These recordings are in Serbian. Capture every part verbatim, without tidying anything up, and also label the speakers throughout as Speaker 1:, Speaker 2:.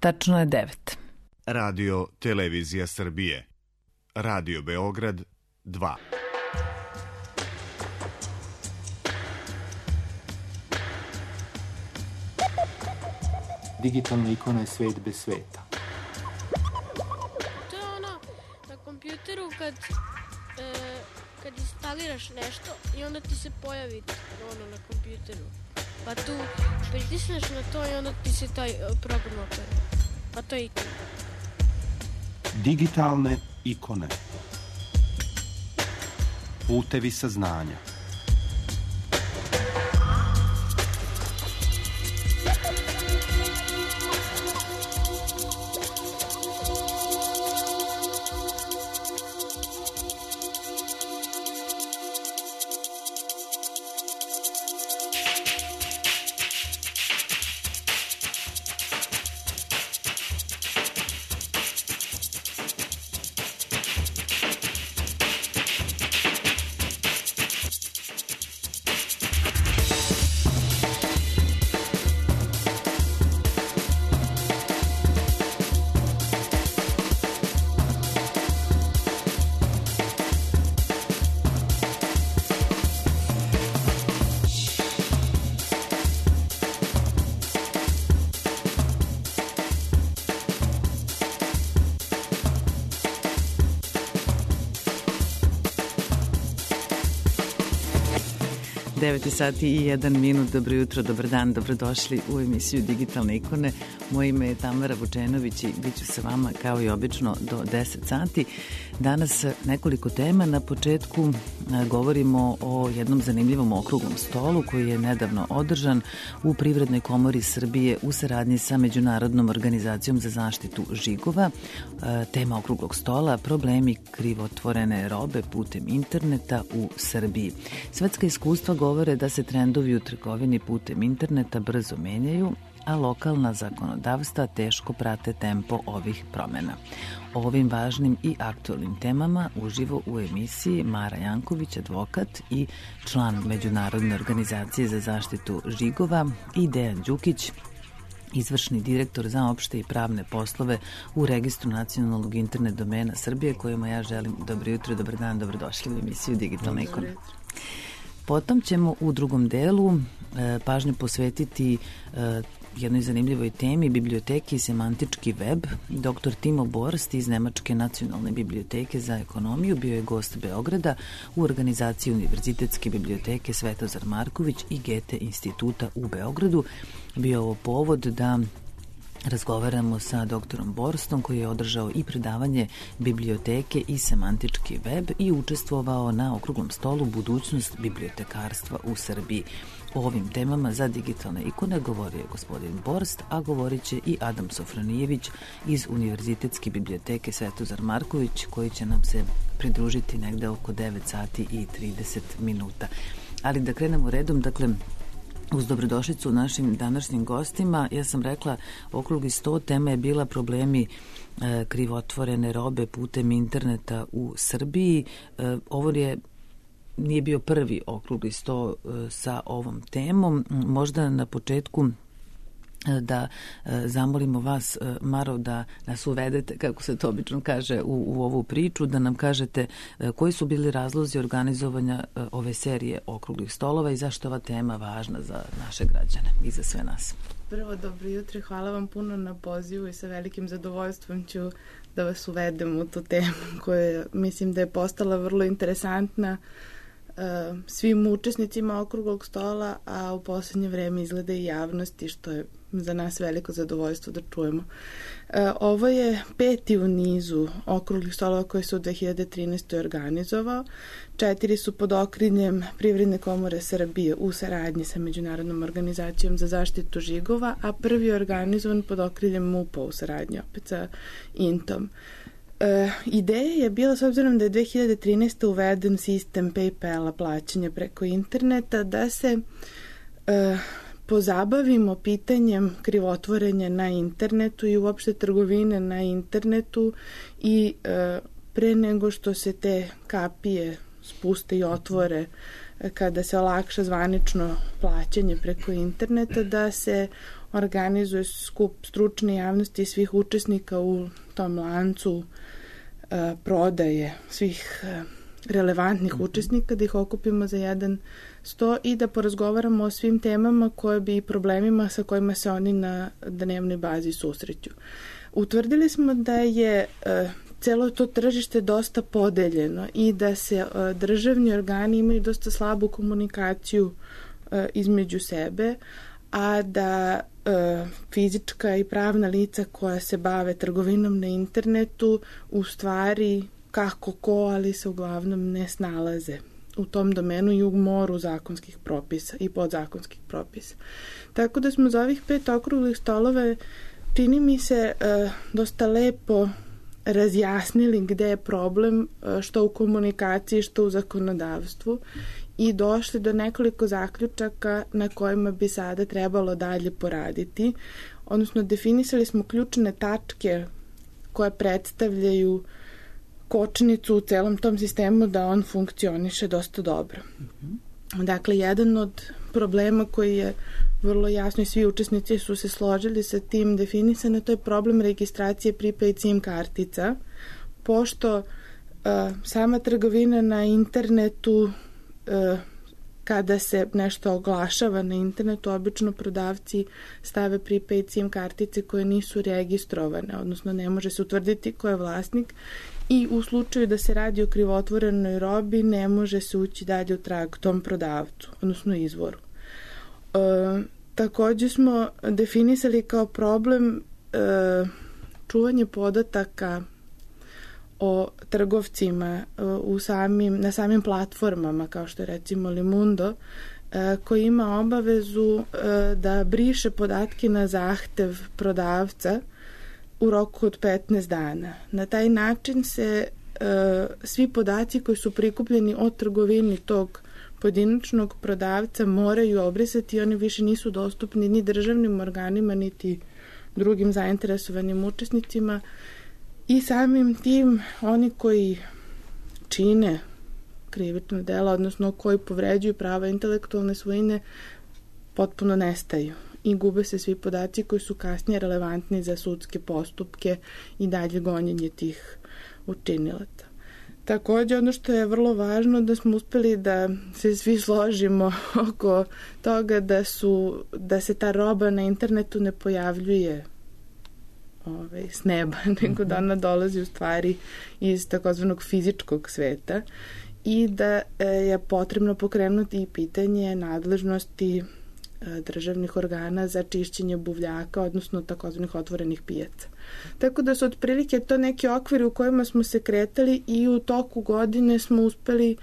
Speaker 1: Tačno je devet.
Speaker 2: Radio Televizija Srbije. Radio Beograd dva.
Speaker 3: Digitalna ikona je svet bez sveta.
Speaker 4: To je ono na kompjuteru kad, e, kad instaliraš nešto i onda ti se pojavi ono na kompjuteru. Pa tu pritisneš na to i onda ti se taj program otvori. Pa to je ikona.
Speaker 3: Digitalne ikone. Putevi saznanja.
Speaker 1: devet sati i jedan minut. Dobro jutro, dobar dan, dobrodošli u emisiju Digitalne ikone. Moje ime je Tamara Vučenović i bit ću sa vama kao i obično do deset sati. Danas nekoliko tema. Na početku govorimo o jednom zanimljivom okruglom stolu koji je nedavno održan u Privrednoj komori Srbije u saradnji sa Međunarodnom organizacijom za zaštitu žigova. Tema okruglog stola: problemi krivotvorene robe putem interneta u Srbiji. Svetska iskustva govore da se trendovi u trgovini putem interneta brzo menjaju, a lokalna zakonodavstva teško prate tempo ovih promena. O ovim važnim i aktualnim temama uživo u emisiji Mara Janković, advokat i član Međunarodne organizacije za zaštitu žigova, i Dejan Đukić, izvršni direktor za opšte i pravne poslove u Registru nacionalnog internet domena Srbije, kojima ja želim dobro jutro, dobar dan, dobrodošli u emisiju Digitalne ikone. Potom ćemo u drugom delu e, pažnju posvetiti e, jednoj zanimljivoj temi, biblioteki i semantički web. Doktor Timo Borst iz Nemačke nacionalne biblioteke za ekonomiju bio je gost Beograda u organizaciji Univerzitetske biblioteke Svetozar Marković i Gete instituta u Beogradu. Bio je ovo povod da razgovaramo sa doktorom Borstom, koji je održao i predavanje biblioteke i semantički web i učestvovao na okruglom stolu budućnost bibliotekarstva u Srbiji. O ovim temama za digitalne ikone govorio je gospodin Borst, a govorit će i Adam Sofronijević iz Univerzitetske biblioteke Svetozar Marković, koji će nam se pridružiti negde oko devet sati i trideset minuta. Ali da krenemo redom, dakle, uz dobrodošlicu našim današnjim gostima. Ja sam rekla, okrugli sto, tema je bila problemi e, krivotvorene robe putem interneta u Srbiji. E, ovo je nije bio prvi okrugli sto e, sa ovom temom. Možda na početku da e, zamolimo vas, e, Maro, da nas uvedete, kako se to obično kaže, u, u ovu priču, da nam kažete e, koji su bili razlozi organizovanja e, ove serije okruglih stolova i zašto je ova tema važna za naše građane i za sve nas.
Speaker 5: Prvo, dobro jutro, hvala vam puno na pozivu i sa velikim zadovoljstvom ću da vas uvedem u tu temu koja mislim da je postala vrlo interesantna uh, svim učesnicima okruglog stola, a u poslednje vreme izgleda i javnosti, što je za nas veliko zadovoljstvo da čujemo. E, ovo je peti u nizu okruglih stolova koji su u dve hiljade trinaestoj organizovao. Četiri su pod okriljem Privredne komore Srbije u saradnji sa Međunarodnom organizacijom za zaštitu žigova, a prvi je organizovan pod okriljem MUP-a u saradnji opet sa Intom. E, ideja je bila, s obzirom da je dve hiljade trinaeste. uveden sistem PayPal-a plaćanja preko interneta, da se e, pozabavimo pitanjem krivotvorenja na internetu i uopšte trgovine na internetu i e, pre nego što se te kapije spuste i otvore, kada se olakša zvanično plaćanje preko interneta, da se organizuje skup stručne javnosti i svih učesnika u tom lancu e, prodaje svih e, relevantnih mm-hmm. učesnika, da ih okupimo za jedan sto i da porazgovaramo o svim temama koje bi i problemima sa kojima se oni na dnevnoj bazi susreću. Utvrdili smo da je e, celo to tržište dosta podeljeno i da se e, državni organi imaju dosta slabu komunikaciju e, između sebe, a da e, fizička i pravna lica koja se bave trgovinom na internetu u stvari kako ko, ali se uglavnom ne snalaze u tom domenu i u moru zakonskih propisa i podzakonskih propisa. Tako da smo za ovih pet okruglih stolova, čini mi se, e, dosta lepo razjasnili gde je problem, e, što u komunikaciji, što u zakonodavstvu, i došli do nekoliko zaključaka na kojima bi sada trebalo dalje poraditi. Odnosno, definisali smo ključne tačke koje predstavljaju kočnicu u celom tom sistemu da on funkcioniše dosta dobro. Mm-hmm. Dakle, jedan od problema koji je vrlo jasno i svi učesnici su se složili sa tim definisane, to je problem registracije prepaid SIM kartica, pošto uh, sama trgovina na internetu, uh, kada se nešto oglašava na internetu, obično prodavci stave prepaid SIM kartice koje nisu registrovane, odnosno ne može se utvrditi ko je vlasnik, i u slučaju da se radi o krivotvorenoj robi ne može se ući dalje u trag tom prodavcu, odnosno izvoru. E, takođe smo definisali kao problem e, čuvanje podataka o trgovcima e, u samim, na samim platformama, kao što je recimo Limundo, e, koji ima obavezu e, da briše podatke na zahtev prodavca u roku od petnaest dana. Na taj način se e, svi podaci koji su prikupljeni o trgovini tog pojedinačnog prodavca moraju obrisati i oni više nisu dostupni ni državnim organima, niti drugim zainteresovanim učesnicima, i samim tim oni koji čine krivično dela, odnosno koji povređuju prava intelektualne svojine, potpuno nestaju i gube se svi podaci koji su kasnije relevantni za sudske postupke i dalje gonjenje tih učinilaca. Takođe, ono što je vrlo važno, da smo uspeli da se svi složimo oko toga da, su, da se ta roba na internetu ne pojavljuje ovaj, s neba, nego da ona dolazi u stvari iz takozvanog fizičkog sveta i da je potrebno pokrenuti i pitanje nadležnosti državnih organa za čišćenje buvljaka, odnosno takozvanih otvorenih pijaca. Tako da su otprilike to neki okviri u kojima smo se kretali i u toku godine smo uspeli,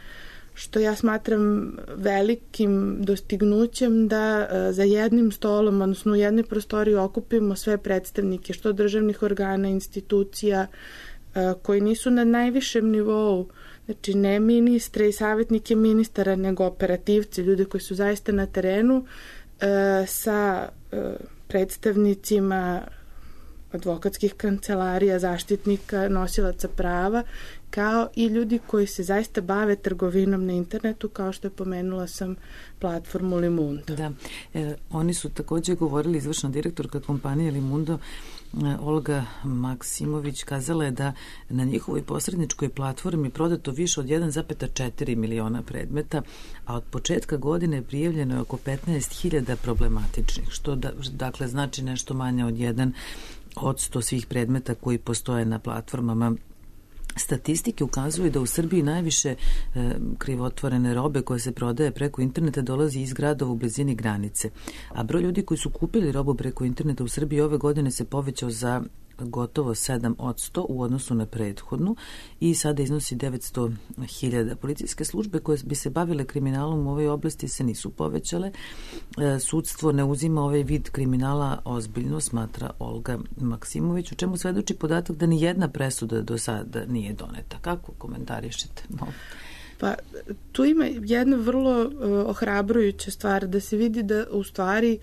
Speaker 5: što ja smatram velikim dostignućem, da za jednim stolom, odnosno u jednoj prostoriji okupimo sve predstavnike, što državnih organa, institucija, koji nisu na najvišem nivou, znači ne ministre i savjetnike ministara, nego operativci, ljudi koji su zaista na terenu, sa predstavnicima advokatskih kancelarija, zaštitnika, nosilaca prava, kao i ljudi koji se zaista bave trgovinom na internetu, kao što je pomenula sam platformu Limundo.
Speaker 1: Da, e, oni su takođe govorili, izvršna direktorka kompanije Limundo, Olga Maksimović, kazala je da na njihovoj posredničkoj platformi prodato više od jedan zarez četiri miliona predmeta, a od početka godine prijavljeno je oko petnaest hiljada problematičnih, što da, dakle znači nešto manje od jedan od sto svih predmeta koji postoje na platformama. Statistike ukazuju da u Srbiji najviše e, krivotvorene robe koje se prodaje preko interneta dolazi iz gradova u blizini granice, a broj ljudi koji su kupili robu preko interneta u Srbiji ove godine se povećao za gotovo sedam posto u odnosu na prethodnu i sada iznosi devetsto hiljada. Policijske službe koje bi se bavile kriminalom u ovoj oblasti se nisu povećale. E, sudstvo ne uzima ovaj vid kriminala ozbiljno, smatra Olga Maksimović, u čemu svedoči podatak da ni jedna presuda do sada nije doneta. Kako komentarišete? No.
Speaker 5: Pa tu ima jedna vrlo uh, ohrabrujuća stvar, da se vidi da u stvari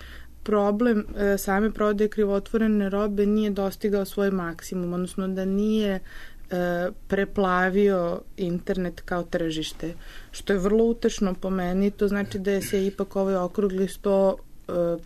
Speaker 5: problem e, same prodaje krivotvorene robe nije dostigao svoj maksimum, odnosno da nije e, preplavio internet kao tržište, što je vrlo utešno po meni. To znači da je se ipak ovaj okrugli sto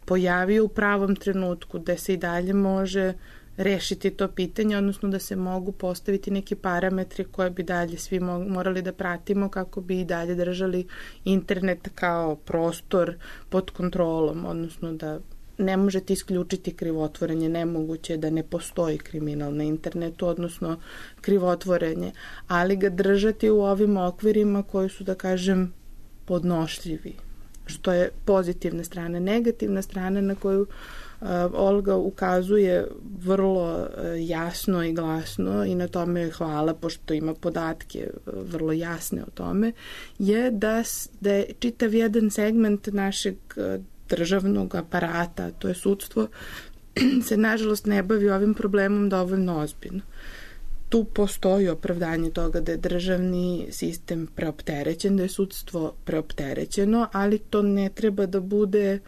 Speaker 5: pojavio u pravom trenutku, da se i dalje može rešiti to pitanje, odnosno da se mogu postaviti neki parametri koje bi dalje svi morali da pratimo kako bi i dalje držali internet kao prostor pod kontrolom, odnosno da ne možete isključiti krivotvorenje, nemoguće da ne postoji kriminal na internetu, odnosno krivotvorenje, ali ga držati u ovim okvirima koji su, da kažem, podnošljivi, što je pozitivna strana. Negativna strana na koju uh, Olga ukazuje vrlo uh, jasno i glasno i na tome joj hvala, pošto ima podatke uh, vrlo jasne o tome, je da, da je čitav jedan segment našeg uh, državnog aparata, to je sudstvo, se nažalost ne bavi ovim problemom dovoljno ozbiljno. Tu postoji opravdanje toga da je državni sistem preopterećen, da je sudstvo preopterećeno, ali to ne treba da bude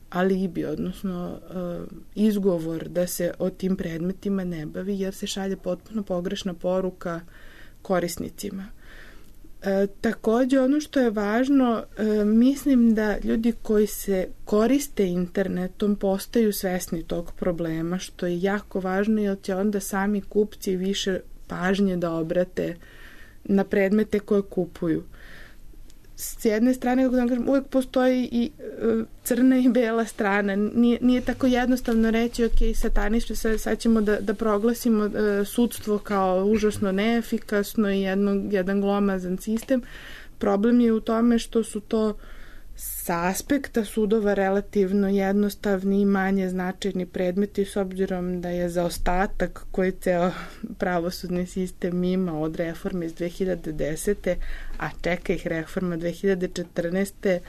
Speaker 5: alibi, odnosno uh, izgovor da se o tim predmetima ne bavi, jer se šalje potpuno pogrešna poruka korisnicima. E, takođe, ono što je važno, e, mislim da ljudi koji se koriste internetom postaju svesni tog problema, što je jako važno, jer će onda sami kupci više pažnje da obrate na predmete koje kupuju. S jedne strane, kako da kažem, uvek postoji i e, crna i bela strana. Nije, nije tako jednostavno reći, ok, satanično, sad, sad ćemo da, da proglasimo e, sudstvo kao užasno neefikasno i jedno, jedan glomazan sistem. Problem je u tome što su to sa aspekta sudova relativno jednostavni i manje značajni predmeti, s obzirom da je zaostatak koji ceo pravosudni sistem ima od reforme iz dve hiljade desete. a čeka ih reforma dve hiljade četrnaeste.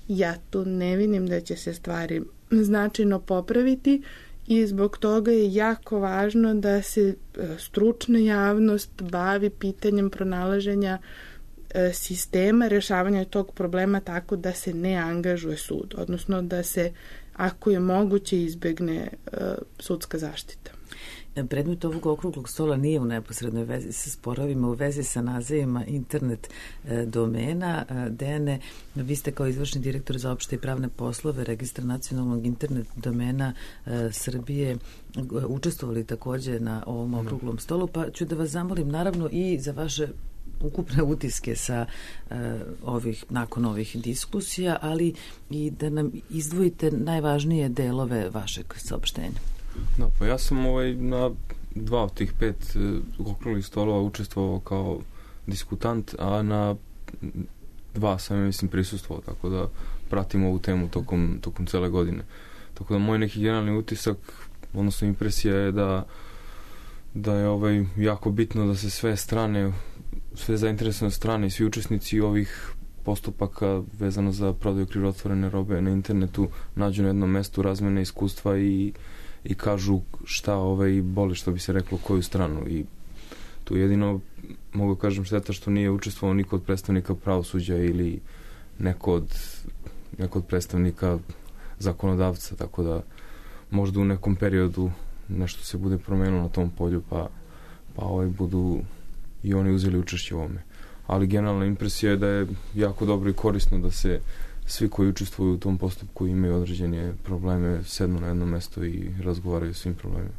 Speaker 5: Ja tu ne vidim da će se stvari značajno popraviti i zbog toga je jako važno da se stručna javnost bavi pitanjem pronalaženja sistema rešavanja tog problema tako da se ne angažuje sud, odnosno da se, ako je moguće, izbegne uh, sudska zaštita.
Speaker 1: Predmet ovog okruglog stola nije u neposrednoj vezi sa sporovima, u vezi sa nazivima internet e, domena. E, Dejane, vi ste kao izvršni direktor za opšte i pravne poslove Registra nacionalnog internet domena e, Srbije učestvovali takođe na ovom okruglom stolu, pa ću da vas zamolim naravno i za vaše ukupne utiske sa uh, ovih, nakon ovih diskusija, ali i da nam izdvojite najvažnije delove vašeg saopštenja.
Speaker 6: Da, pa ja sam ovaj, na dva od tih pet uh, okruglih stolova učestvovao kao diskutant, a na dva sam, ja mislim, prisustvovao, tako da pratim ovu temu tokom, tokom cele godine. Tako da moj neki generalni utisak, odnosno impresija je da da je ovaj, jako bitno da se sve strane sve zainteresovane strane i svi učesnici ovih postupaka vezano za prodaju krivotvorene robe na internetu nađu na jednom mestu, razmene iskustva i, i kažu šta ovaj boli, što bi se reklo, koju stranu. I tu jedino mogu kažem šteta što nije učestvovao niko od predstavnika pravosuđa ili neko od, neko od predstavnika zakonodavca, tako da možda u nekom periodu nešto se bude promenilo na tom polju, pa, pa ovaj budu i oni uzeli učešće u ovome. Ali generalna impresija je da je jako dobro i korisno da se svi koji učestvuju u tom postupku imaju određene probleme, sednu na jedno mesto i razgovaraju o svim problemima.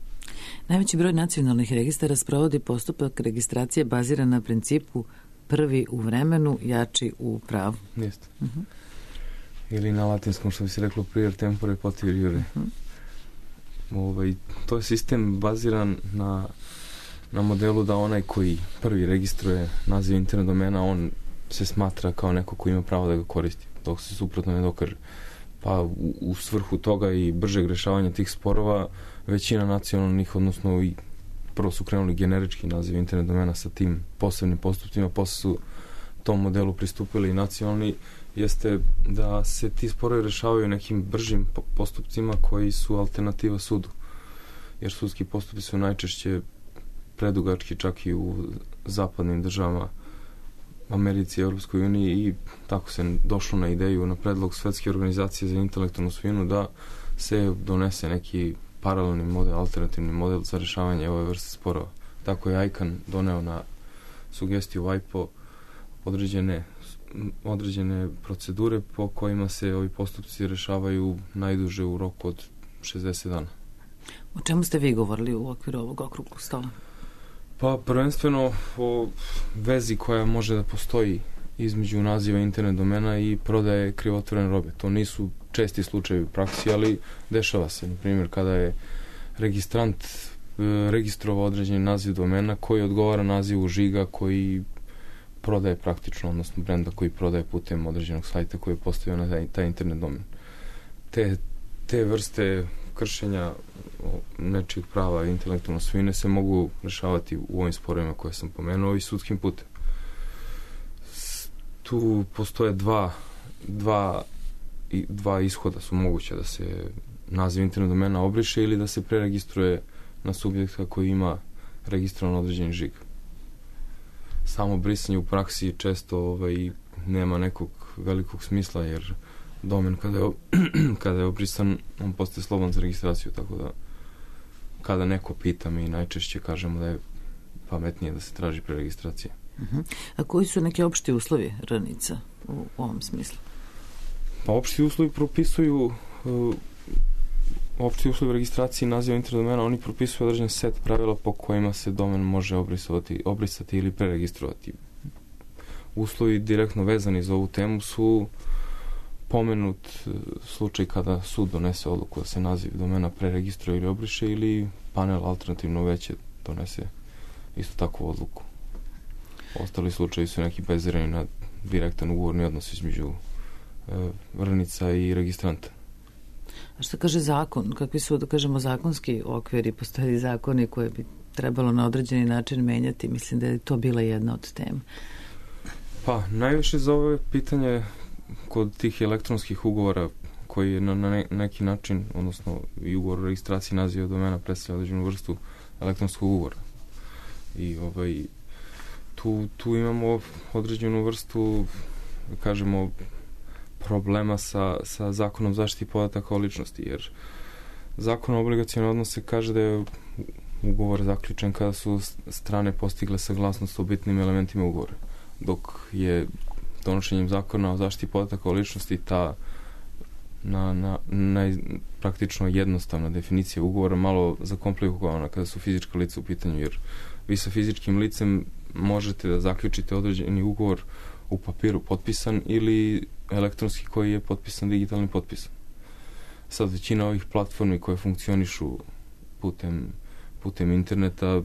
Speaker 1: Najveći broj nacionalnih registara sprovodi postupak registracije baziran na principu prvi u vremenu, jači u pravu.
Speaker 6: Jeste.
Speaker 1: Uh-huh.
Speaker 6: Ili na latinskom, što bi se reklo, prior tempore potior iure. Uh-huh. Ovaj, to je sistem baziran na na modelu da onaj koji prvi registruje naziv internet domena, on se smatra kao neko ko ima pravo da ga koristi, dok se suprotno ne dokaže. Pa u, u svrhu toga i bržeg rešavanja tih sporova većina nacionalnih, odnosno i prvo su krenuli generički naziv internet domena sa tim posebnim postupcima, posle su tom modelu pristupili i nacionalni, jeste da se ti sporovi rešavaju nekim bržim postupcima koji su alternativa sudu. Jer sudski postupci su najčešće predugački, čak i u zapadnim državama, Americi i Europskoj uniji, i tako se došlo na ideju, na predlog Svetske organizacije za intelektualnu svojinu, da se donese neki paralelni model, alternativni model za rešavanje ove vrste sporova. Tako je I C A N doneo na sugestiju V I P O određene određene procedure po kojima se ovi postupci rešavaju najduže u roku od šezdeset dana.
Speaker 1: O čemu ste vi govorili u okviru ovog okruglog stola?
Speaker 6: Pa prvenstveno o vezi koja može da postoji između naziva internet domena i prodaje krivotvorene robe. To nisu česti slučajevi u praksi, ali dešava se. Na primjer, kada je registrant registrovao određeni naziv domena koji odgovara nazivu žiga koji prodaje praktično, odnosno brenda koji prodaje putem određenog sajta koji je postavio na taj, taj internet domen. Te, te vrste kršenja nečijeg prava intelektualne svojine se mogu rešavati u ovim sporovima koje sam pomenuo i sudskim putem. Tu postoje dva, dva, dva ishoda su moguće, da se naziv internet domena obriše ili da se preregistruje na subjekta koji ima registrovan određeni žig. Samo brisanje u praksi često ovaj, nema nekog velikog smisla, jer domen kada je, kada je obrisan, on postaje slobodan za registraciju, tako da kada neko pita, mi najčešće kažemo da je pametnije da se traži preregistracija.
Speaker 1: Uh-huh. A koji su neki opšti uslovi ranica u, u ovom smislu?
Speaker 6: Pa opšti uslovi propisuju uh, opšti uslovi registracije naziva internet domena, oni propisuju određen set pravila po kojima se domen može obrisati, obrisati ili preregistrovati. Uslovi direktno vezani za ovu temu su pomenut slučaj kada sud donese odluku da se naziv domena preregistruje ili obriše, ili panel alternativno veće donese isto takvu odluku. Ostali slučaji su neki bazirani na direktan ugovorni odnos između e, vrnica i registranta.
Speaker 1: A što kaže zakon? Kakvi su, da kažemo, zakonski okviri? Postoje zakoni koje bi trebalo na određeni način menjati? Mislim da je to bila jedna od tema.
Speaker 6: Pa, najviše za ovo pitanje kod tih elektronskih ugovora koji je na, na ne, neki način, odnosno i ugovor o registraciji naziva domena predstavlja određenu vrstu elektronskog ugovora. I ovaj, tu, tu imamo određenu vrstu, kažemo, problema sa, sa zakonom zaštiti podataka o ličnosti, jer zakon o obligacionim odnose kaže da je ugovor zaključen kada su strane postigle saglasnost o bitnim elementima ugovora, dok je donošenjem zakona o zaštiti podataka o ličnosti ta na, na, na praktično jednostavna definicija ugovora malo zakomplikovana kada su fizička lica u pitanju, jer vi sa fizičkim licem možete da zaključite određeni ugovor u papiru potpisan ili elektronski koji je potpisan digitalnim potpisom. Sad većina ovih platformi koje funkcionišu putem, putem interneta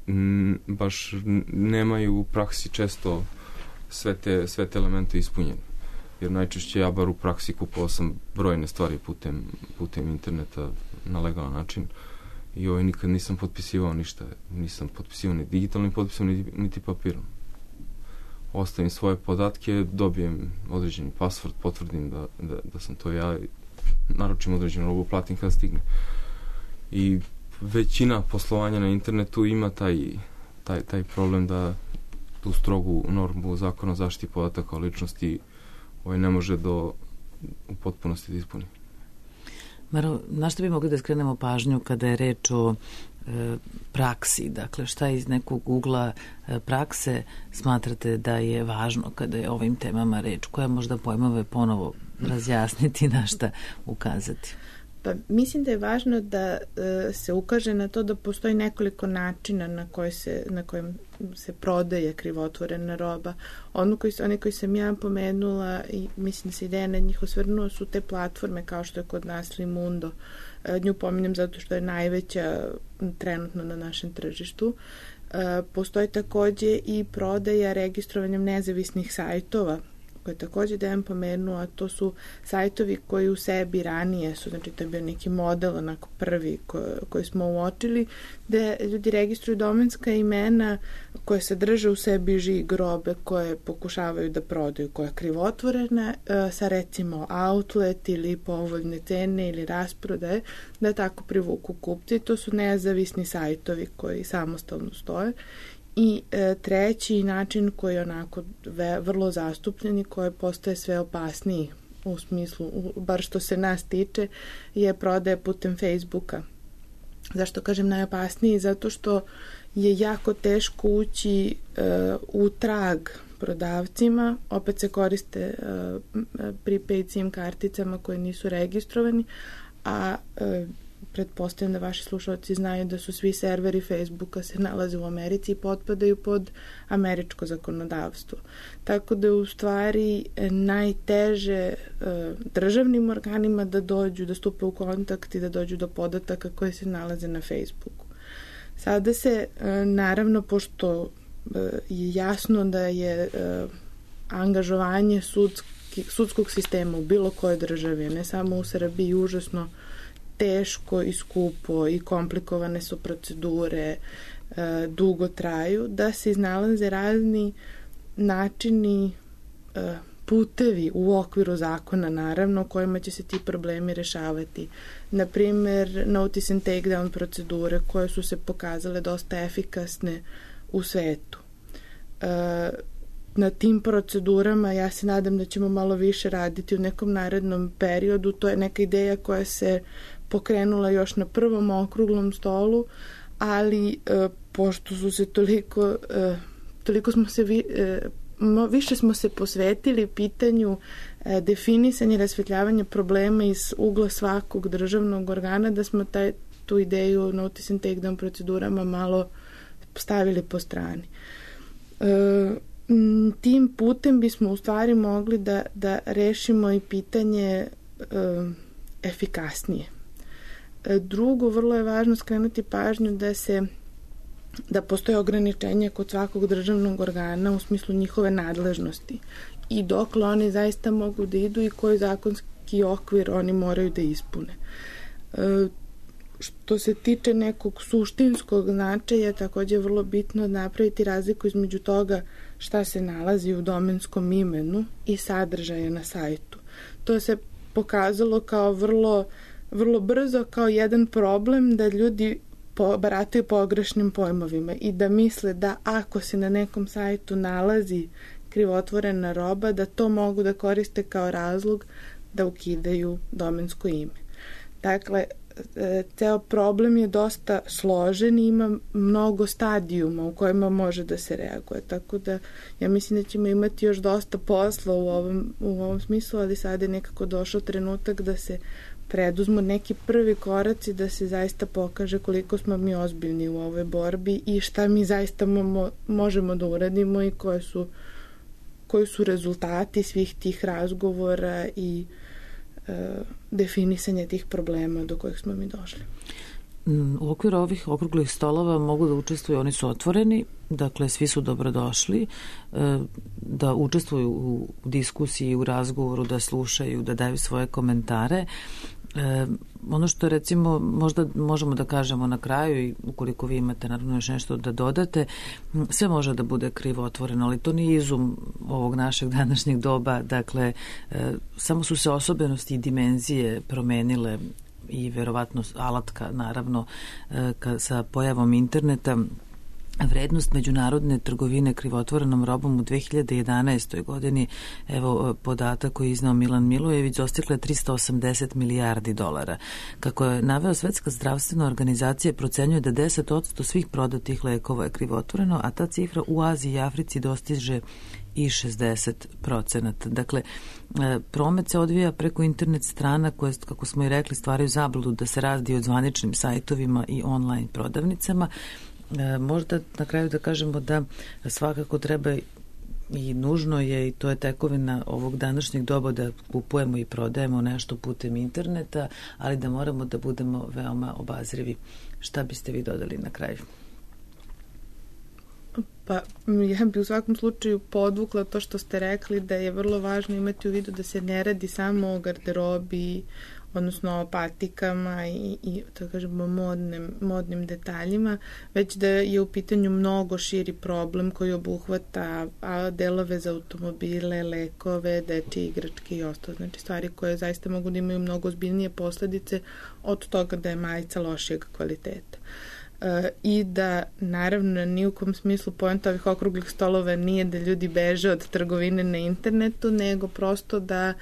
Speaker 6: m, baš nemaju u praksi često sve te, sve te elemente ispunjene. Jer najčešće ja bar u praksi kupovao sam brojne stvari putem, putem interneta na legalan način i ovaj nikad nisam potpisivao ništa. Nisam potpisivao ni digitalnim potpisom, niti, niti papirom. Ostavim svoje podatke, dobijem određeni password, potvrdim da, da, da sam to ja, naručim određenu robu, platim kada stigne. I većina poslovanja na internetu ima taj, taj, taj problem da tu strogu normu zakona o zaštiti podataka o ličnosti ovaj ne može do u potpunosti da ispuni.
Speaker 1: Maro, na što bi mogli da skrenemo pažnju kada je reč o e, praksi? Dakle, šta iz nekog ugla e, prakse smatrate da je važno kada je o ovim temama reč? Koje možda pojmove ponovo razjasniti, na šta ukazati?
Speaker 5: Pa mislim da je važno da e, se ukaže na to da postoji nekoliko načina na koje se, na kojem se prodaje krivotvorena roba. Ono koji, one koji sam ja pomenula i mislim da se ideja na njih osvrnuo su te platforme kao što je kod nas Limundo. E, nju pominjem zato što je najveća trenutno na našem tržištu. E, postoji takođe i prodaja registrovanjem nezavisnih sajtova koje takođe Dejan pomenuo, a to su sajtovi koji u sebi ranije su, znači to je bio neki model, onako prvi ko, koji smo uočili, gde ljudi registruju domenska imena koje sadrže u sebi žig robe koje pokušavaju da prodaju, koja je krivotvorena, sa recimo outlet ili povoljne cene ili rasprodaje, da tako privuku kupci. To su nezavisni sajtovi koji samostalno stoje. I e, treći način koji je onako ve, vrlo zastupljen i koji postaje sve opasniji u smislu, u, bar što se nas tiče, je prodaja putem Facebooka. Zašto kažem najopasniji? Zato što je jako teško ući e, u trag prodavcima, opet se koriste uh, prepaid SIM karticama koje nisu registrovani, a uh, pretpostavljam da vaši slušalci znaju da su svi serveri Facebooka se nalaze u Americi i potpadaju pod američko zakonodavstvo. Tako da je u stvari najteže uh, državnim organima da dođu, da stupe u kontakt i da dođu do podataka koje se nalaze na Facebooku. Sada se, uh, naravno, pošto uh, je jasno da je uh, angažovanje sudski, sudskog sistema u bilo kojoj državi, ne samo u Srbiji, užasno teško i skupo i komplikovane su procedure, e, dugo traju, da se iznalaze razni načini, e, putevi u okviru zakona, naravno, kojima će se ti problemi rešavati. Naprimer, notice and takedown procedure koje su se pokazale dosta efikasne u svetu. E, na tim procedurama ja se nadam da ćemo malo više raditi u nekom narednom periodu. To je neka ideja koja se pokrenula još na prvom okruglom stolu, ali e, pošto su se toliko, e, toliko smo se vi, e, mo, više smo se posvetili pitanju e, definisanja i rasvetljavanja problema iz ugla svakog državnog organa, da smo taj, tu ideju notice and takedown procedurama malo stavili po strani. E, tim putem bismo u stvari mogli da, da rešimo i pitanje e, efikasnije. Drugo, vrlo je važno skrenuti pažnju da se da postoje ograničenja kod svakog državnog organa u smislu njihove nadležnosti i dokle oni zaista mogu da idu i koji zakonski okvir oni moraju da ispune. E, što se tiče nekog suštinskog značaja, takođe je vrlo bitno napraviti razliku između toga šta se nalazi u domenskom imenu i sadržaja na sajtu. To se pokazalo kao vrlo vrlo brzo kao jedan problem da ljudi po, barataju pogrešnim pojmovima i da misle da ako se na nekom sajtu nalazi krivotvorena roba, da to mogu da koriste kao razlog da ukidaju domensko ime. Dakle, ceo problem je dosta složen i ima mnogo stadijuma u kojima može da se reaguje, tako da ja mislim da ćemo imati još dosta posla u ovom, u ovom smislu, ali sada je nekako došao trenutak da se preduzmu neki prvi koraci da se zaista pokaže koliko smo mi ozbiljni u ovoj borbi i šta mi zaista mo- možemo da uradimo i koje su, koji su rezultati svih tih razgovora i e, definisanja tih problema do kojih smo mi došli.
Speaker 1: U okviru ovih okruglih stolova mogu da učestvuju, oni su otvoreni, dakle svi su dobrodošli, da učestvuju u diskusiji, u razgovoru, da slušaju, da daju svoje komentare. E, ono što recimo možda možemo da kažemo na kraju i ukoliko vi imate naravno još nešto da dodate, sve može da bude krivo otvoreno, ali to nije izum ovog našeg današnjeg doba, dakle e, samo su se osobenosti i dimenzije promenile i verovatno alatka naravno e, ka, sa pojavom interneta. Vrednost međunarodne trgovine krivotvorenom robom u dve hiljade jedanaestoj godini, evo podatak koji je iznao Milan Milojević, dostigla je trista osamdeset milijardi dolara. Kako je naveo Svetska zdravstvena organizacija, procenjuje da deset posto svih prodatih lekova je krivotvoreno, a ta cifra u Aziji i Africi dostiže i šezdeset procenata. Dakle, promet se odvija preko internet strana koje, kako smo i rekli, stvaraju zabludu da se radi o zvaničnim sajtovima i online prodavnicama. Možda na kraju da kažemo da svakako treba i nužno je, i to je tekovina ovog današnjeg doba, da kupujemo i prodajemo nešto putem interneta, ali da moramo da budemo veoma obazrivi. Šta biste vi dodali na kraju?
Speaker 5: Pa ja bih u svakom slučaju podvukla to što ste rekli, da je vrlo važno imati u vidu da se ne radi samo o garderobi, odnosno o patikama i, i da kažemo modnim, modnim detaljima, već da je u pitanju mnogo širi problem koji obuhvata a, delove za automobile, lekove, dečje igračke i ostalo. Znači stvari koje zaista mogu da imaju mnogo ozbiljnije posledice od toga da je majica lošijeg kvaliteta. E, i da naravno ni u kom smislu poenta ovih okruglih stolova nije da ljudi beže od trgovine na internetu, nego prosto da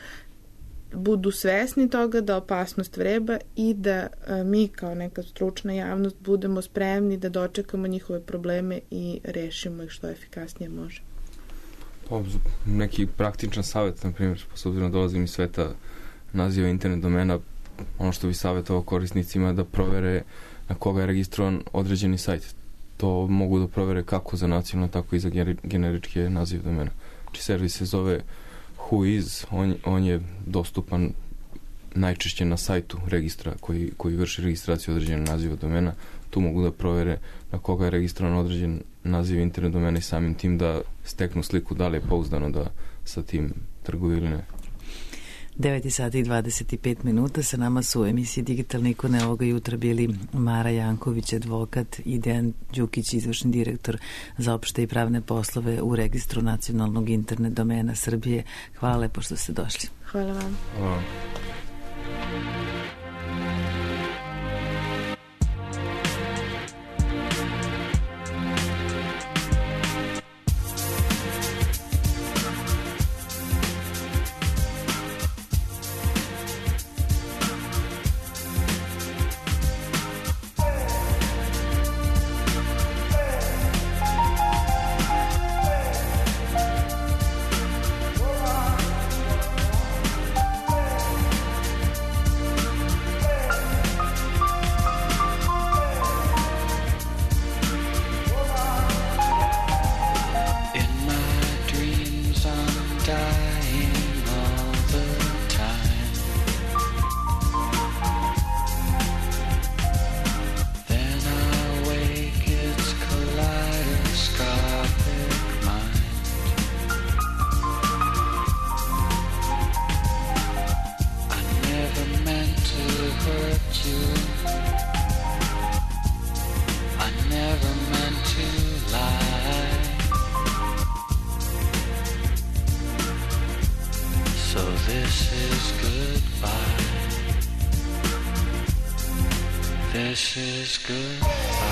Speaker 5: budu svesni toga da opasnost vreba i da a, mi kao neka stručna javnost budemo spremni da dočekamo njihove probleme i rešimo ih što efikasnije može.
Speaker 6: Pa, neki praktičan savjet, na primjer, s obzirom dolazim iz sveta naziva internet domena, ono što bi savjetovao korisnicima da provere na koga je registrovan određeni sajt. To mogu da provere kako za nacionalno, tako i za generičke nazive domena. Znači, servis se zove Whois, on, on je dostupan najčešće na sajtu registra koji, koji vrši registraciju određenog naziva domena. Tu mogu da provere na koga je registrovan određen naziv internet domena i samim tim da steknu sliku da li je pouzdano da sa tim trguju ili ne.
Speaker 1: devet sati i dvadeset pet minuta, sa nama su u emisiji Digitalne ikone ovoga jutra bili Mara Janković, advokat, i Dejan Đukić, izvršni direktor za opšte i pravne poslove u Registru nacionalnog internet domena Srbije. Hvala lepo što ste došli.
Speaker 5: Hvala vam.
Speaker 6: Hvala.
Speaker 7: This is goodbye.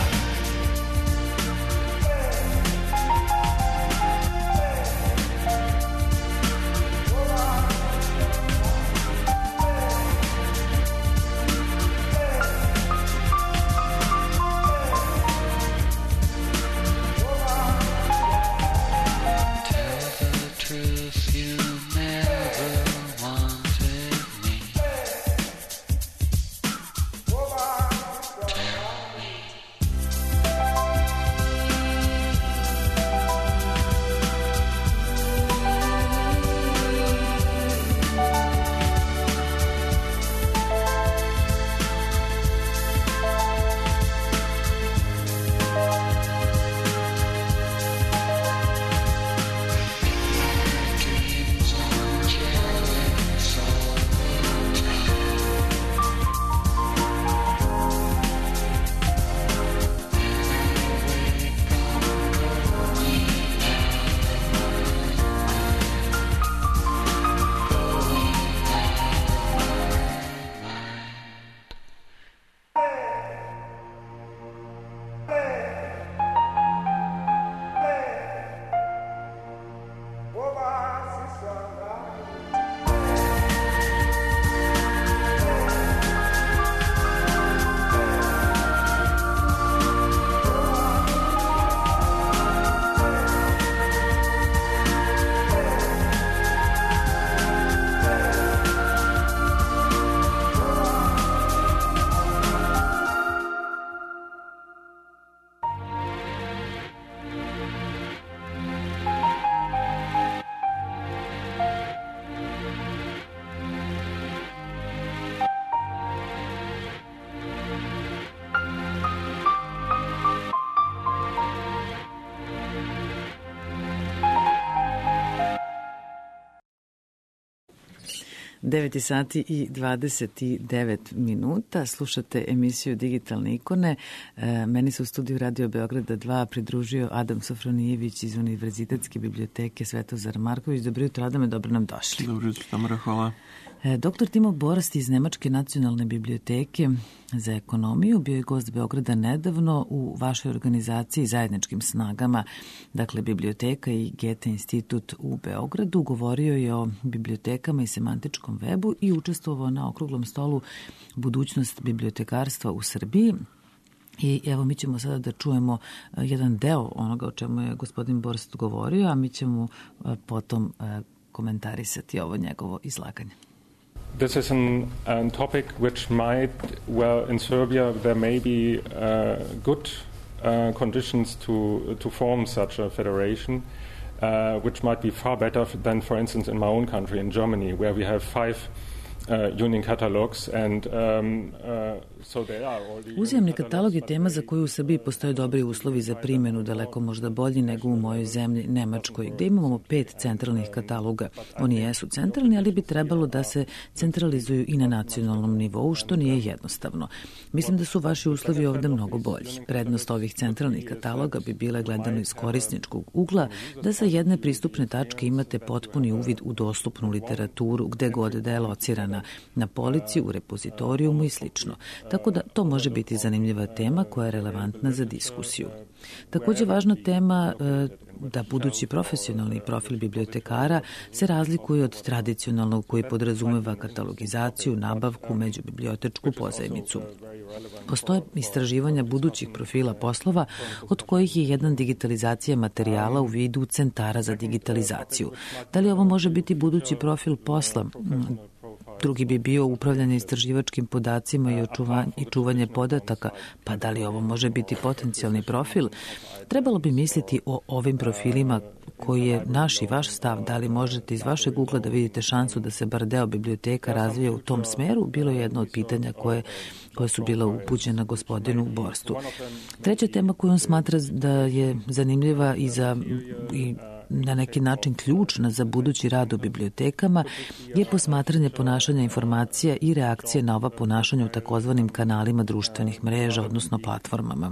Speaker 1: devet sati i dvadeset devet minuta. Slušate emisiju Digitalne ikone. E, meni se u studiju Radio Beograda dva pridružio Adam Sofronijević iz Univerzitetske biblioteke Svetozar Marković. Dobro jutro, Adame, dobro nam došli.
Speaker 8: Dobro jutro, Tamara, hvala.
Speaker 1: E, doktor Timo Borast iz Nemačke nacionalne biblioteke za ekonomiju bio je gost Beograda nedavno u vašoj organizaciji Zajedničkim snagama, dakle Biblioteka i Goethe institut u Beogradu. Govorio je o bibliotekama i semantičkom webu i učestvovao na okruglom stolu Budućnost bibliotekarstva u Srbiji. I evo mi ćemo sada da čujemo jedan deo onoga o čemu je gospodin Borst govorio, a mi ćemo potom komentarisati ovo njegovo izlaganje.
Speaker 8: This is an, an topic which might, well, in Serbia there may be uh, good uh, conditions to to form such a federation, uh, which might be far better than, for instance, in my own country, in Germany, where we have five uh, union catalogs and um, uh,
Speaker 1: Uzajamni katalog je tema za koju u Srbiji postoje dobri uslovi za primjenu, daleko možda bolji nego u mojoj zemlji Nemačkoj, gde imamo pet centralnih kataloga. Oni jesu centralni, ali bi trebalo da se centralizuju i na nacionalnom nivou, što nije jednostavno. Mislim da su vaši uslovi ovde mnogo bolji. Prednost ovih centralnih kataloga bi bila, gledano iz korisničkog ugla, da sa jedne pristupne tačke imate potpuni uvid u dostupnu literaturu, gde god da je locirana, na polici, u repozitorijumu i slično. Tako da to može biti zanimljiva tema koja je relevantna za diskusiju. Takođe važna tema da budući profesionalni profil bibliotekara se razlikuje od tradicionalnog koji podrazumeva katalogizaciju, nabavku, međubibliotečku pozajmicu. Postoje istraživanja budućih profila poslova, od kojih je jedan digitalizacija materijala u vidu centara za digitalizaciju. Da li ovo može biti budući profil posla? Drugi bi bio upravljanje istraživačkim podacima i, očuvanje, i čuvanje podataka, pa da li ovo može biti potencijalni profil? Trebalo bi misliti o ovim profilima koji je naš i vaš stav, da li možete iz vašeg ugla da vidite šansu da se bar deo biblioteka razvije u tom smeru, bilo je jedno od pitanja koje, koje su bila upućena gospodinu Borstu. Treća tema koju on smatra da je zanimljiva i za i na neki način ključna za budući rad u bibliotekama je posmatranje ponašanja informacija i reakcije na ova ponašanja u takozvanim kanalima društvenih mreža, odnosno platformama.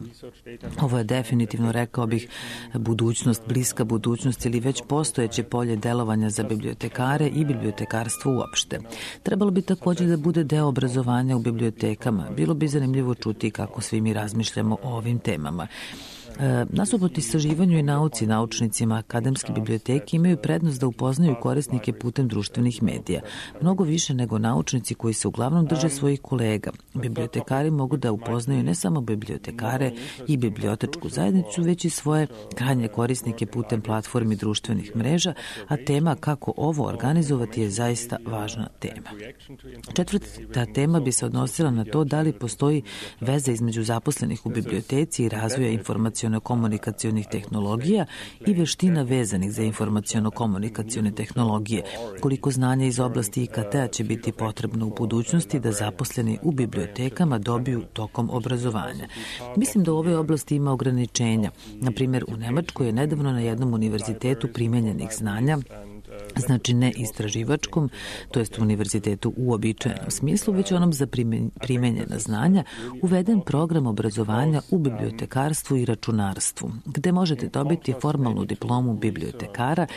Speaker 1: Ovo je definitivno, rekao bih, budućnost, bliska budućnost ili već postojeće polje delovanja za bibliotekare i bibliotekarstvo uopšte. Trebalo bi također da bude deo obrazovanja u bibliotekama. Bilo bi zanimljivo čuti kako svi mi razmišljamo o ovim temama. E, nasuprot istraživanju i nauci, naučnicima akademske biblioteke imaju prednost da upoznaju korisnike putem društvenih medija. Mnogo više nego naučnici koji se uglavnom drže svojih kolega. Bibliotekari mogu da upoznaju ne samo bibliotekare i bibliotečku zajednicu, već i svoje krajnje korisnike putem platformi društvenih mreža, a tema kako ovo organizovati je zaista važna tema. Četvrta tema bi se odnosila na to da li postoji veza između zaposlenih u biblioteci i razvoja informacije komunikacionih tehnologija i veština vezanih za informaciono-komunikacione tehnologije. Koliko znanja iz oblasti I K T-a će biti potrebno u budućnosti da zaposleni u bibliotekama dobiju tokom obrazovanja. Mislim da u ovoj oblasti ima ograničenja. Na primjer, u Nemačkoj je nedavno na jednom univerzitetu primenjenih znanja, znači ne istraživačkom, to jest univerzitetu u uobičajenom smislu, već onom za primenjena znanja, uveden program obrazovanja u bibliotekarstvu i računarstvu, gde možete dobiti formalnu diplomu bibliotekara,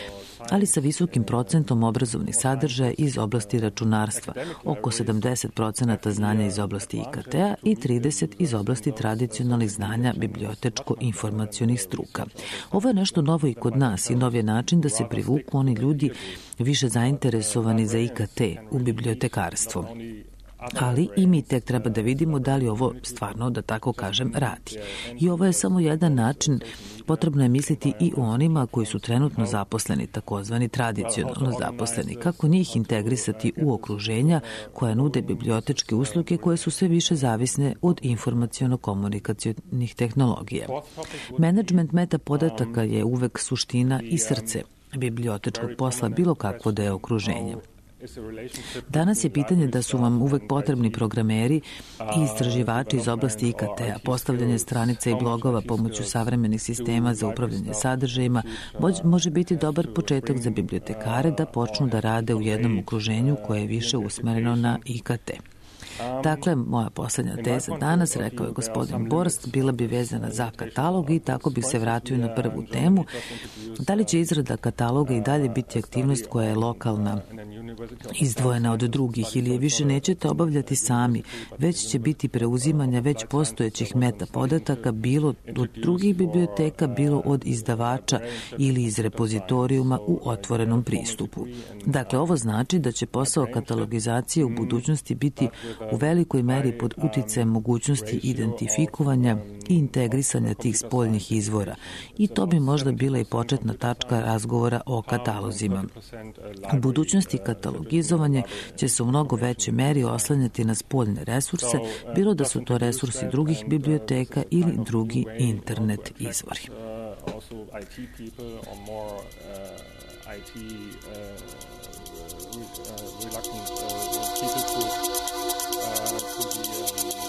Speaker 1: ali sa visokim procentom obrazovnih sadržaja iz oblasti računarstva, oko sedamdeset procenata znanja iz oblasti I K T-a i trideset iz oblasti tradicionalnih znanja bibliotečko-informacionih struka. Ovo je nešto novo i kod nas i nov je način da se privuku oni ljudi više zainteresovani za I K T u bibliotekarstvo. Ali i mi tek treba da vidimo da li ovo stvarno, da tako kažem, radi. I ovo je samo jedan način, potrebno je misliti i o onima koji su trenutno zaposleni, takozvani tradicionalno zaposleni, kako njih integrisati u okruženja koja nude bibliotečke usluge koje su sve više zavisne od informaciono-komunikacionih tehnologija. Menadžment meta podataka je uvek suština i srce bibliotečkog posla, bilo kakvo da je okruženje. Danas je pitanje da su vam uvek potrebni programeri i istraživači iz oblasti I K T-a, postavljanje stranica i blogova pomoću savremenih sistema za upravljanje sadržajima može biti dobar početak za bibliotekare da počnu da rade u jednom okruženju koje je više usmereno na I K T. Dakle, moja poslednja teza danas, rekao je gospodin Borst, bila bi vezana za katalog i tako bih se vratio na prvu temu. Da li će izrada kataloga i dalje biti aktivnost koja je lokalna, izdvojena od drugih ili je više nećete obavljati sami, već će biti preuzimanja već postojećih meta podataka, bilo od drugih biblioteka, bilo od izdavača ili iz repozitorijuma u otvorenom pristupu. Dakle, ovo znači da će posao katalogizacije u budućnosti biti u velikoj meri pod uticajem mogućnosti identifikovanja i integrisanja tih spoljnih izvora i to bi možda bila i početna tačka razgovora o katalozima. U budućnosti katalogizovanje će se u mnogo većoj meri oslanjati na spoljne resurse, bilo da su to resursi drugih biblioteka ili drugi internet izvori.
Speaker 8: Also I T people or more uh, I T uh, re, uh, reluctant uh, people to, uh, to the um,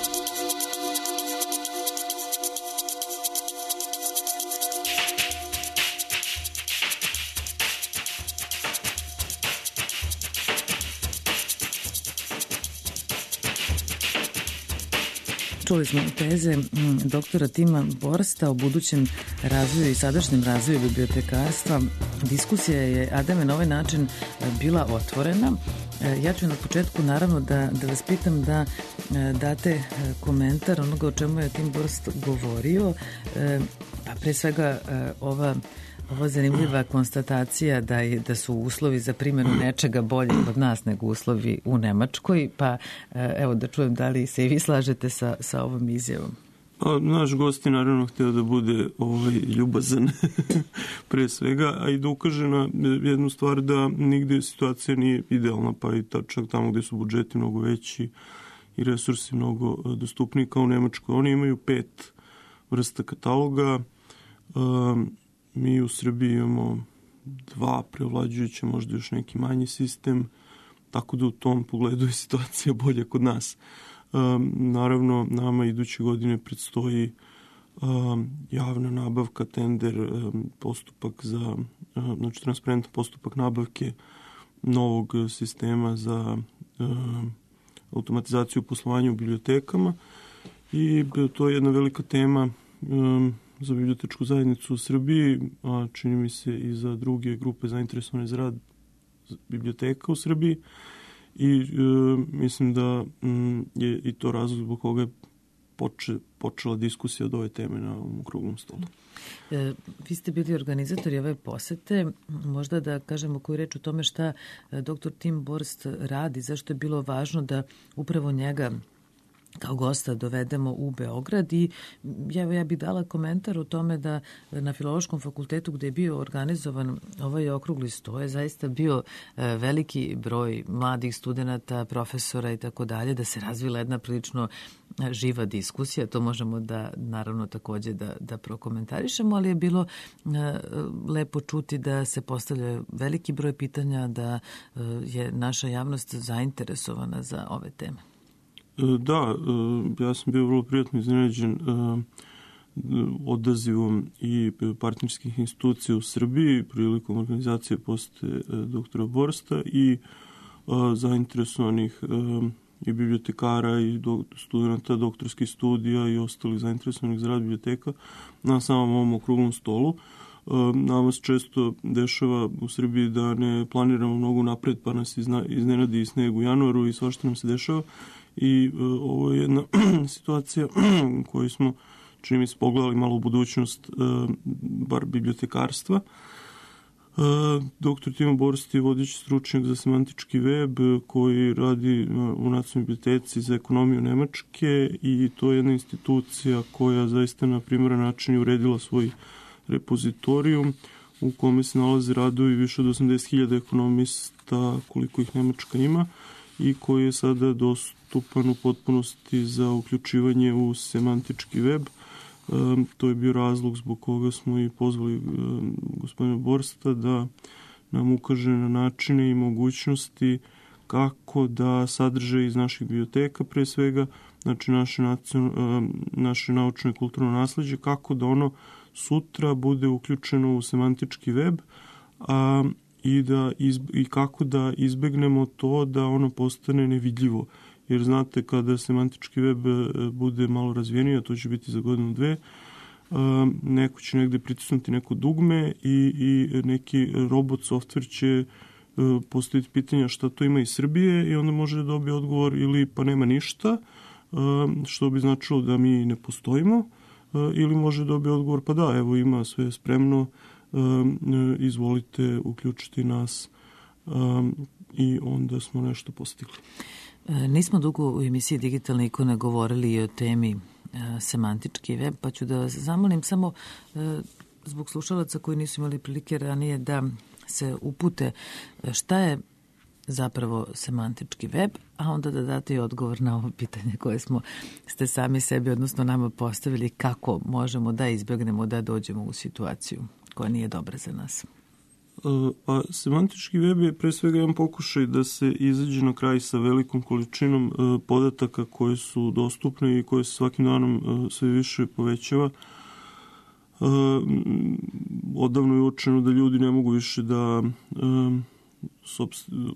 Speaker 1: Čuli smo teze doktora Tima Borsta o budućem razvoju i sadašnjem razvoju bibliotekarstva. Diskusija je, Ademe, na ovaj način bila otvorena. Ja ću na početku naravno da, da vas pitam da date komentar onoga o čemu je Tim Borst govorio, pa pre svega ova Ova zanimljiva konstatacija da, je, da su uslovi za primjenu nečega bolji kod nas nego uslovi u Nemačkoj, pa evo da čujem da li se i vi slažete sa, sa ovom izjavom.
Speaker 9: Pa, naš gost je naravno hteo da bude ovaj, ljubazan pre svega, a i da ukaže na jednu stvar da nigde situacija nije idealna, pa i ta, čak tamo gde su budžeti mnogo veći i resursi mnogo dostupniji kao u Nemačkoj. Oni imaju pet vrsta kataloga, um, mi u Srbiji imamo dva prevlađujuća, možda još neki manji sistem, tako da u tom pogledu je situacija bolja kod nas. Um, naravno, nama iduće godine predstoji um, javna nabavka, tender, um, postupak za, um, znači transparentan postupak nabavke novog sistema za um, automatizaciju poslovanja u bibliotekama i to je jedna velika tema um, za bibliotečku zajednicu u Srbiji, a čini mi se i za druge grupe zainteresovane za rad biblioteka u Srbiji i e, mislim da m, je i to razlog zbog koga je poče, počela diskusija od ove teme na ovom okruglom stolu.
Speaker 1: E, vi ste bili organizatori ove posete, možda da kažemo koju reč o tome šta doktor Tim Borst radi, zašto je bilo važno da upravo njega kao gosta dovedemo u Beograd i ja, ja bih dala komentar o tome da na Filološkom fakultetu gde je bio organizovan ovaj okrugli sto je zaista bio veliki broj mladih studenta, profesora i tako dalje, da se razvila jedna prilično živa diskusija, to možemo da naravno takođe da, da prokomentarišemo, ali je bilo lepo čuti da se postavlja veliki broj pitanja, da je naša javnost zainteresovana za ove teme.
Speaker 9: Da, ja sam bio vrlo prijatno iznenađen odazivom i partnerskih institucija u Srbiji prilikom organizacije posete doktora Borsta i zainteresovanih i bibliotekara i studenta doktorskih studija i ostalih zainteresovanih za rad biblioteka na samom ovom okruglom stolu. Nama se često dešava u Srbiji da ne planiramo mnogo napred, pa nas iznenadi i sneg u januaru i svašta nam se dešava. I uh, ovo je jedna situacija u kojoj smo, čini mi se, pogledali malo u budućnost uh, bar bibliotekarstva. Uh, doktor Timo Borst je vodeći stručnjak za semantički web koji radi uh, u Nacionalnoj biblioteci za ekonomiju Nemačke i to je jedna institucija koja zaista na primeran način je uredila svoj repozitorijum u kome se nalaze radovi više od osamdeset hiljada ekonomista koliko ih Nemačka ima i koji je sada dostupan u potpunosti za uključivanje u semantički web. E, to je bio razlog zbog koga smo i pozvali e, gospodina Borsta da nam ukaže na načine i mogućnosti kako da sadržaj iz naših biblioteka, pre svega, znači naše, nacion, e, naše naučno i kulturno nasleđe, kako da ono sutra bude uključeno u semantički web, a I, da izb, i kako da izbegnemo to da ono postane nevidljivo. Jer znate, kada semantički web bude malo razvijeniji, a to će biti za godinu dve, neko će negde pritisnuti neko dugme i, i neki robot software će postaviti pitanja šta to ima iz Srbije i onda može da dobije odgovor ili pa nema ništa, što bi značilo da mi ne postojimo, ili može da dobije odgovor pa da, evo ima sve spremno, Um, izvolite uključiti nas um, i onda smo nešto postigli.
Speaker 1: Nismo dugo u emisiji Digitalne ikone govorili i o temi semantički web, pa ću da vas zamolim samo zbog slušalaca koji nisu imali prilike ranije da se upute šta je zapravo semantički web, a onda da date i odgovor na ovo pitanje koje smo ste sami sebi, odnosno nama postavili, kako možemo da izbjegnemo da dođemo u situaciju koja nije dobra za nas.
Speaker 9: Pa, semantički web je pre svega jedan pokušaj da se izađe na kraj sa velikom količinom uh, podataka koje su dostupne i koje se svakim danom uh, sve više povećava. Uh, odavno je uočeno da ljudi ne mogu više da uh,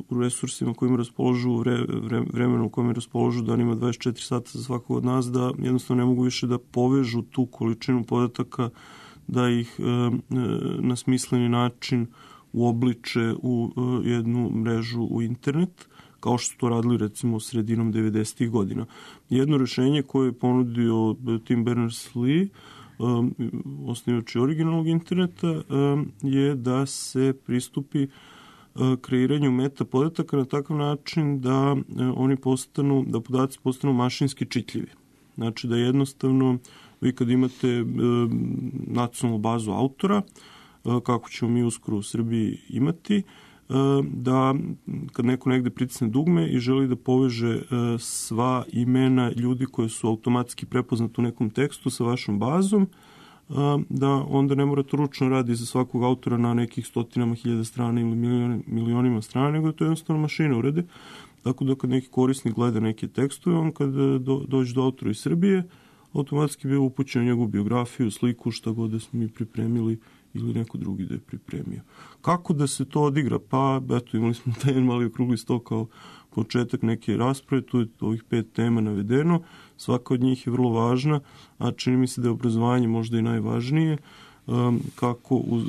Speaker 9: u resursima kojima raspoložu, vre, vre, vremenu u kojem raspoložu, da ima dvadeset četiri sata za svakog od nas, da jednostavno ne mogu više da povežu tu količinu podataka, da ih uh, na smisleni način uobliče u uh, jednu mrežu u internet, kao što su to radili recimo sredinom devedesetih godina. Jedno rešenje koje je ponudio Tim Berners-Lee, um, osnivač originalnog interneta, um, je da se pristupi uh, kreiranju meta podataka na takav način da uh, oni postanu, da podaci postanu mašinski čitljivi. Znači da jednostavno vi kad imate uh, nacionalnu bazu autora, kako ćemo mi uskoro u Srbiji imati, da kad neko negde pritisne dugme i želi da poveže sva imena ljudi koje su automatski prepoznati u nekom tekstu sa vašom bazom, da onda ne mora to ručno radi za svakog autora na nekih stotinama hiljada strana ili milionima strana, nego da to jednostavno mašina urede. Tako da kad neki korisnik gleda neke tekstove, on kad do, dođe do autora iz Srbije, automatski bi upućen njegovu biografiju, sliku, šta god da smo mi pripremili ili neko drugi da je pripremio. Kako da se to odigra? Pa, eto, imali smo taj mali okrugli sto kao početak neke rasprave, tu je ovih pet tema navedeno, svaka od njih je vrlo važna, a čini mi se da je obrazovanje možda i najvažnije, kako u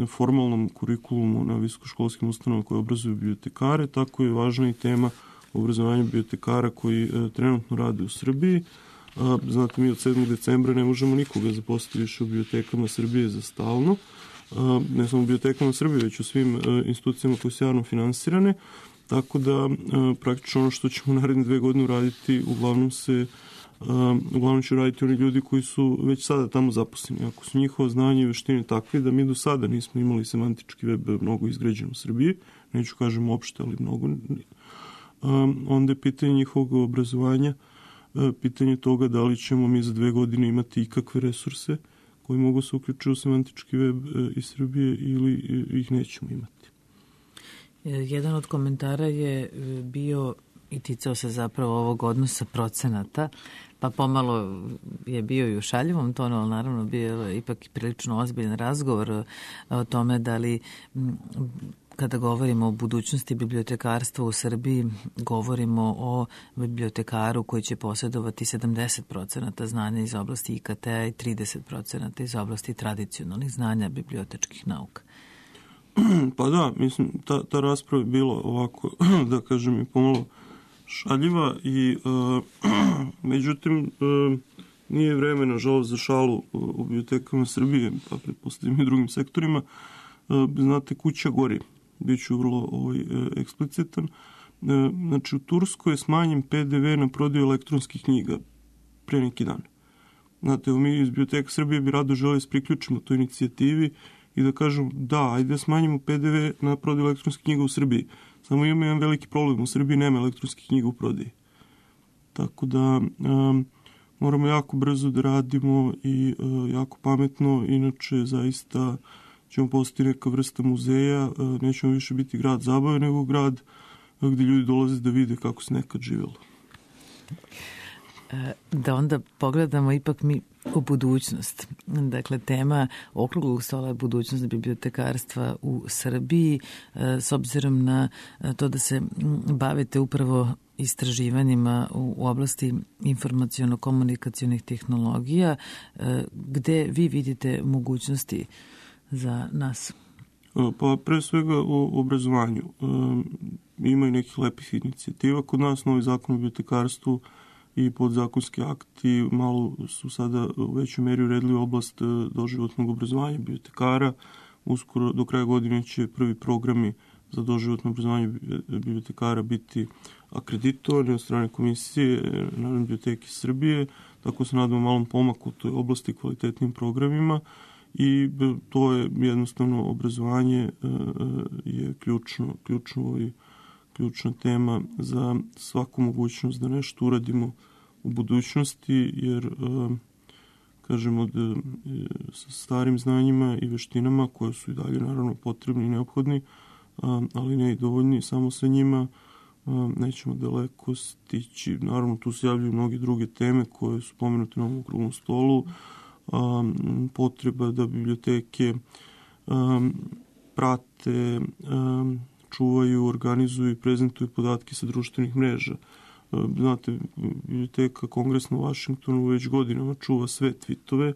Speaker 9: formalnom kurikulumu na visokoškolskim ustanovama koje obrazuju bibliotekare, tako je važna i tema obrazovanja bibliotekara koji trenutno rade u Srbiji. Znate, mi od sedmog decembra ne možemo nikoga zaposliti više u bibliotekama Srbije za stalno. Ne samo u bibliotekama Srbije, već u svim institucijama koje su javno finansirane. Tako da praktično ono što ćemo naredne dve godine uraditi, uglavnom se uglavnom će uraditi oni ljudi koji su već sada tamo zaposleni. Ako su njihova znanja i veštine takve da mi do sada nismo imali semantički web mnogo izgrađen u Srbiji, neću kažem uopšte, ali mnogo, onda je pitanje njihovog obrazovanja, pitanje toga da li ćemo mi za dve godine imati ikakve resurse koji mogu se uključiti u semantički web iz Srbije ili ih nećemo imati.
Speaker 1: Jedan od komentara je bio i ticao se zapravo ovog odnosa procenata, pa pomalo je bio i u šaljivom tonu, ali naravno bio je ipak prilično ozbiljan razgovor o tome da li kada govorimo o budućnosti bibliotekarstva u Srbiji, govorimo o bibliotekaru koji će posjedovati sedamdeset procenata znanja iz oblasti I K T-a i trideset procenata iz oblasti tradicionalnih znanja bibliotečkih nauka.
Speaker 9: Pa da, mislim, ta, ta rasprava je bila ovako, da kažem, i pomalo šaljiva i uh, međutim uh, nije vreme, nažalost, za šalu u bibliotekama Srbije, pa pretpostavljam i drugim sektorima. Uh, znate, kuća gori. Biću vrlo ovaj, eksplicitan. Znači, u Turskoj je smanjen P D V na prodaju elektronskih knjiga pre neki dan. Znate, mi iz Biblioteka Srbije bi rado želi da se priključimo toj inicijativi i da kažem da, ajde da smanjimo P D V na prodaju elektronskih knjiga u Srbiji. Samo imamo jedan veliki problem, u Srbiji nema elektronskih knjiga u prodaji. Tako da um, moramo jako brzo da radimo i uh, jako pametno, inače zaista ćemo postati neka vrsta muzeja, nećemo više biti grad zabave, nego grad gdje ljudi dolaze da vide kako se nekad živjelo.
Speaker 1: Da onda pogledamo ipak mi u budućnost. Dakle, tema okruglog stola je budućnost bibliotekarstva u Srbiji, s obzirom na to da se bavite upravo istraživanjima u oblasti informaciono-komunikacionih tehnologija, gde vi vidite mogućnosti za nas?
Speaker 9: Pa pre svega u obrazovanju. Ima i nekih lepih inicijativa. Kod nas novi zakon o bibliotekarstvu i podzakonski akti malo su sada u većoj meri uredili oblast doživotnog obrazovanja bibliotekara. Uskoro do kraja godine će prvi programi za doživotno obrazovanje bibliotekara biti akreditovani od strane Komisije Narodne biblioteke Srbije, tako se nadamo malom pomaku u toj oblasti, kvalitetnim programima, i to je jednostavno obrazovanje je ključno, ključno i ključna tema za svaku mogućnost da nešto uradimo u budućnosti, jer kažemo da sa starim znanjima i veštinama koje su i dalje naravno potrebni i neophodni, ali ne i dovoljni, samo sa njima nećemo daleko stići. Naravno, tu se javljaju mnoge druge teme koje su pomenute na ovom okruglom stolu, potreba da biblioteke prate, čuvaju, organizuju i prezentuju podatke sa društvenih mreža. Znate, biblioteka Kongresna u Vašingtonu već godinama čuva sve tvitove,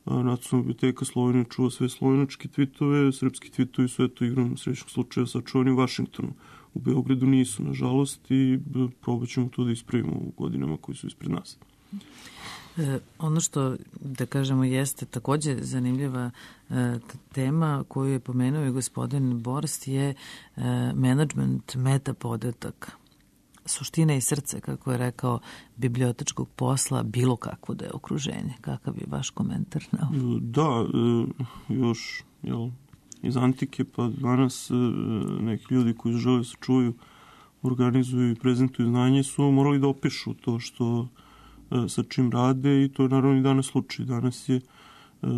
Speaker 9: Nacionalna biblioteka Slovenije čuva sve slovenačke tvitove, srpski tvitovi su eto igrom srećnog slučaja sačuvani u Vašingtonu. U Beogradu nisu, nažalost, i probat ćemo to da ispravimo u godinama koji su ispred nas.
Speaker 1: E, ono što, da kažemo, jeste takođe zanimljiva e, tema koju je pomenuo i gospodin Borst je e, management metapodataka. Suština i srce, kako je rekao, bibliotečkog posla, bilo kakvo da je okruženje. Kakav je vaš komentar na ovo?
Speaker 9: Da, još jel, iz antike pa danas neki ljudi koji žele da se čuju, organizuju i prezentuju znanje su morali da opišu to što sa čim rade, i to je naravno i danas slučaj. Danas je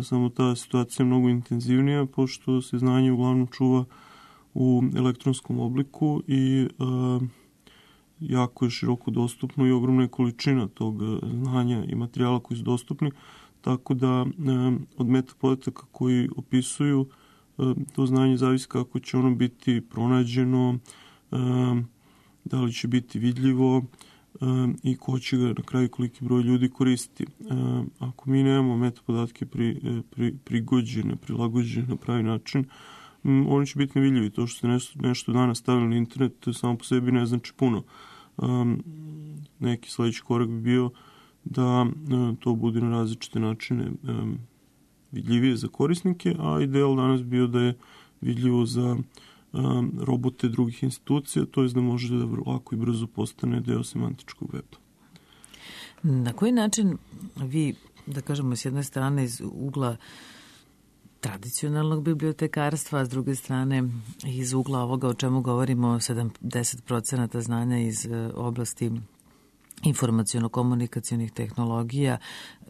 Speaker 9: samo ta situacija mnogo intenzivnija, pošto se znanje uglavnom čuva u elektronskom obliku i jako je široko dostupno i ogromna je količina tog znanja i materijala koji su dostupni, tako da od metapodataka koji opisuju to znanje zavisi kako će ono biti pronađeno, da li će biti vidljivo i ko će ga na kraju koliki broj ljudi koristiti. Ako mi nemamo metapodatke pri, pri, prigođene, prilagođene na pravi način, oni će biti nevidljivi. To što ste nešto, nešto danas stavili na internet samo po sebi ne znači puno. Um, neki sledeći korak bi bio da um, to bude na različite načine um, vidljivije za korisnike, a ideal danas bio da je vidljivo za um, robote drugih institucija, to je da može da lako i brzo postane deo semantičkog weba.
Speaker 1: Na koji način vi, da kažemo, s jedne strane iz ugla tradicionalnog bibliotekarstva, a s druge strane iz ugla ovoga o čemu govorimo, sedamdeset procenata znanja iz oblasti informaciono-komunikacionih tehnologija,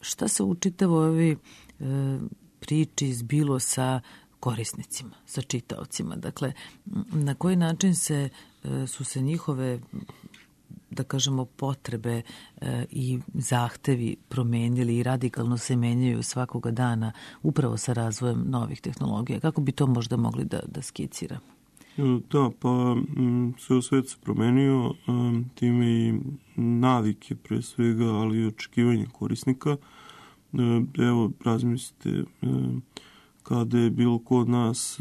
Speaker 1: šta se u čitavoj ovoj e, priči zbilo sa korisnicima, sa čitaocima? Dakle, na koji način se, e, su se njihove, da kažemo, potrebe e, i zahtevi promenili i radikalno se menjaju svakoga dana upravo sa razvojem novih tehnologija? Kako bi to možda mogli da, da skiciramo?
Speaker 9: Da, pa sve u svet se promenio, time i navike pre svega, ali i očekivanje korisnika. Evo, razmislite, kada je bilo ko od nas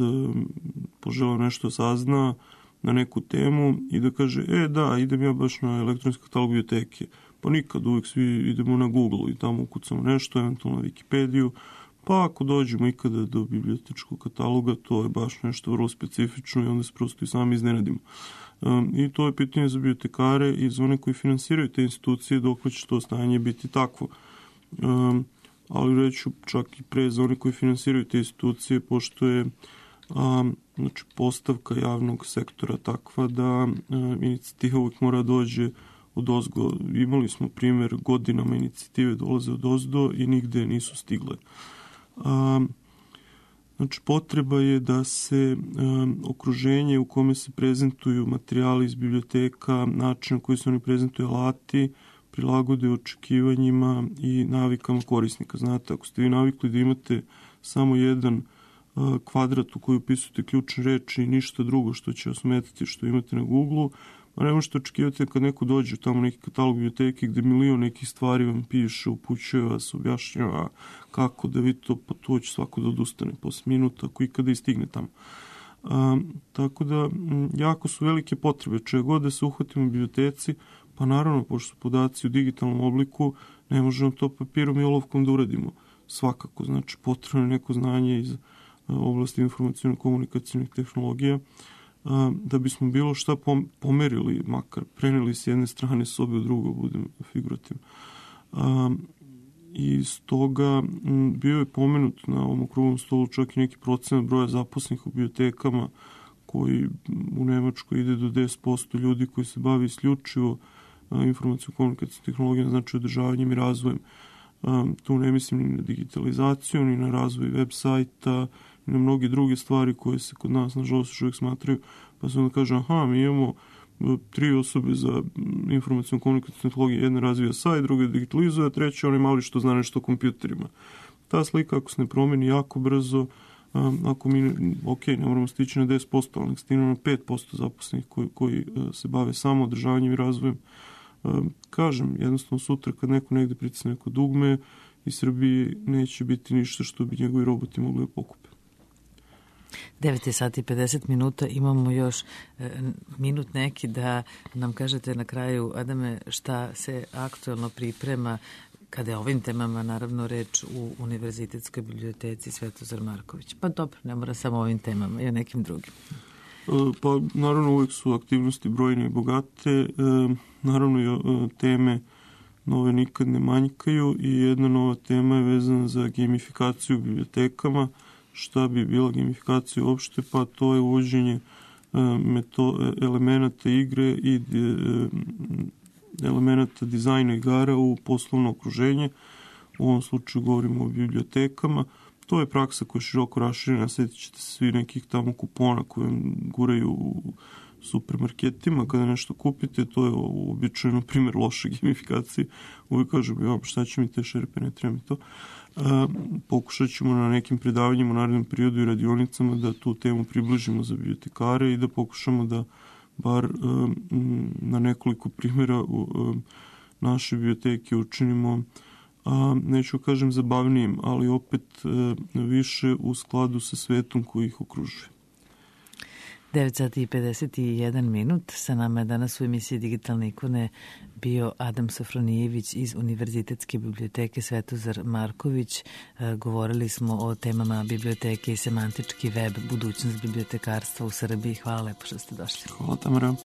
Speaker 9: poželao nešto sazna na neku temu i da kaže, e da, idem ja baš na elektronski katalog biblioteke. Pa nikad, uvijek svi idemo na Google i tamo ukucamo nešto, eventualno na Wikipediju, pa ako dođemo ikada do bibliotečkog kataloga, to je baš nešto vrlo specifično i onda se prosto i sami iznenadimo. Um, I to je pitanje za bibliotekare i za one koji finansiraju te institucije, dok će to stanje biti takvo. Um, ali reću čak i pre za one koji finansiraju te institucije, pošto je um, znači, postavka javnog sektora takva da um, inicijativa uvijek mora dođe od ozgo. Imali smo primjer, godinama inicijative dolaze od ozdo i nigde nisu stigle. Um, znači, potreba je da se um, okruženje u kome se prezentuju materijali iz biblioteka, način na koji se oni prezentuju, alati, prilagode očekivanjima i navikama korisnika. Znate, ako ste vi navikli da imate samo jedan uh, kvadrat u koji upisujete ključne reči i ništa drugo što će vas metati što imate na Google-u, a ne možete očekivati kad neko dođe tamo neki katalog biblioteke gde milion nekih stvari vam piše, upućuje vas, objašnjava kako da vi to, pa to će svako da odustane posle minuta ako ikada i stigne tamo. A, tako da, m, jako su velike potrebe. Če god da se uhvatimo u biblioteci, pa naravno, pošto su podaci u digitalnom obliku, ne možemo to papirom i olovkom da uradimo. Svakako, znači, potrebno je neko znanje iz a, oblasti informacijalno-komunikacijnih tehnologija. da bismo bilo šta pomerili, makar preneli s jedne strane sobe u drugo, budem figurativno. I stoga bio je pomenut na ovom okruglom stolu čak i neki procenat broja zaposlenih u bibliotekama koji u Nemačkoj ide do deset posto ljudi koji se bavi isključivo informacijno-komunikacijom tehnologijom, znači održavanjem i razvojem. Tu ne mislim ni na digitalizaciju, ni na razvoj web sajta, ni na mnogi druge stvari koje se kod nas, nažalost, još uvijek smatraju, pa se onda kaže, aha, mi imamo tri osobe za informacijnu komunikacijnu tehnologiju, jedna razvija sajt, druga digitalizuje, a treća onaj mali što zna nešto o kompjuterima. Ta slika, ako se ne promeni jako brzo, ako mi, ok, ne moramo stići na deset posto, ali nek stigne na pet posto zaposlenih koji, koji se bave samo održavanjem i razvojem. Kažem, jednostavno sutra kad neko negde pritisne neko dugme, iz Srbije neće biti ništa što bi njegovi roboti mogli da pokupe.
Speaker 1: devet sati i pedeset minuta, imamo još e, minut neki da nam kažete na kraju, Adame, šta se aktuelno priprema kada je ovim temama naravno reč u Univerzitetskoj biblioteci Svetozar Marković. Pa dobro, ne mora samo ovim temama i o nekim drugim.
Speaker 9: Pa naravno uvijek su aktivnosti brojne i bogate, naravno i teme nove nikad ne manjkaju i jedna nova tema je vezana za gamifikaciju u bibliotekama. Šta bi bila gamifikacija uopšte? Pa to je uvođenje elemenata igre i elemenata dizajna igara u poslovno okruženje. U ovom slučaju govorimo o bibliotekama. To je praksa koja je široko raširena, sjetit ćete se svi nekih tamo kupona koje guraju u supermarketima kada nešto kupite, to je običajno primjer loše gamifikacije. Uvijek kažem, ja, šta će mi te šerpe, ne treba mi to. A, pokušat ćemo na nekim predavanjima u narednom periodu i radionicama da tu temu približimo za bibliotekare i da pokušamo da bar a, na nekoliko primjera u, a, naše biblioteke učinimo, a, neću kažem zabavnijim, ali opet a, više u skladu sa svetom koji ih okružuje.
Speaker 1: devet sati i pedeset jedan minut. Sa nama je danas u emisiji Digitalne ikone bio Adam Sofronijević iz Univerzitetske biblioteke Svetozar Marković. E, govorili smo o temama biblioteke i semantički web, budućnost bibliotekarstva u Srbiji. Hvala lepo što ste došli.
Speaker 9: Hvala, Tamara.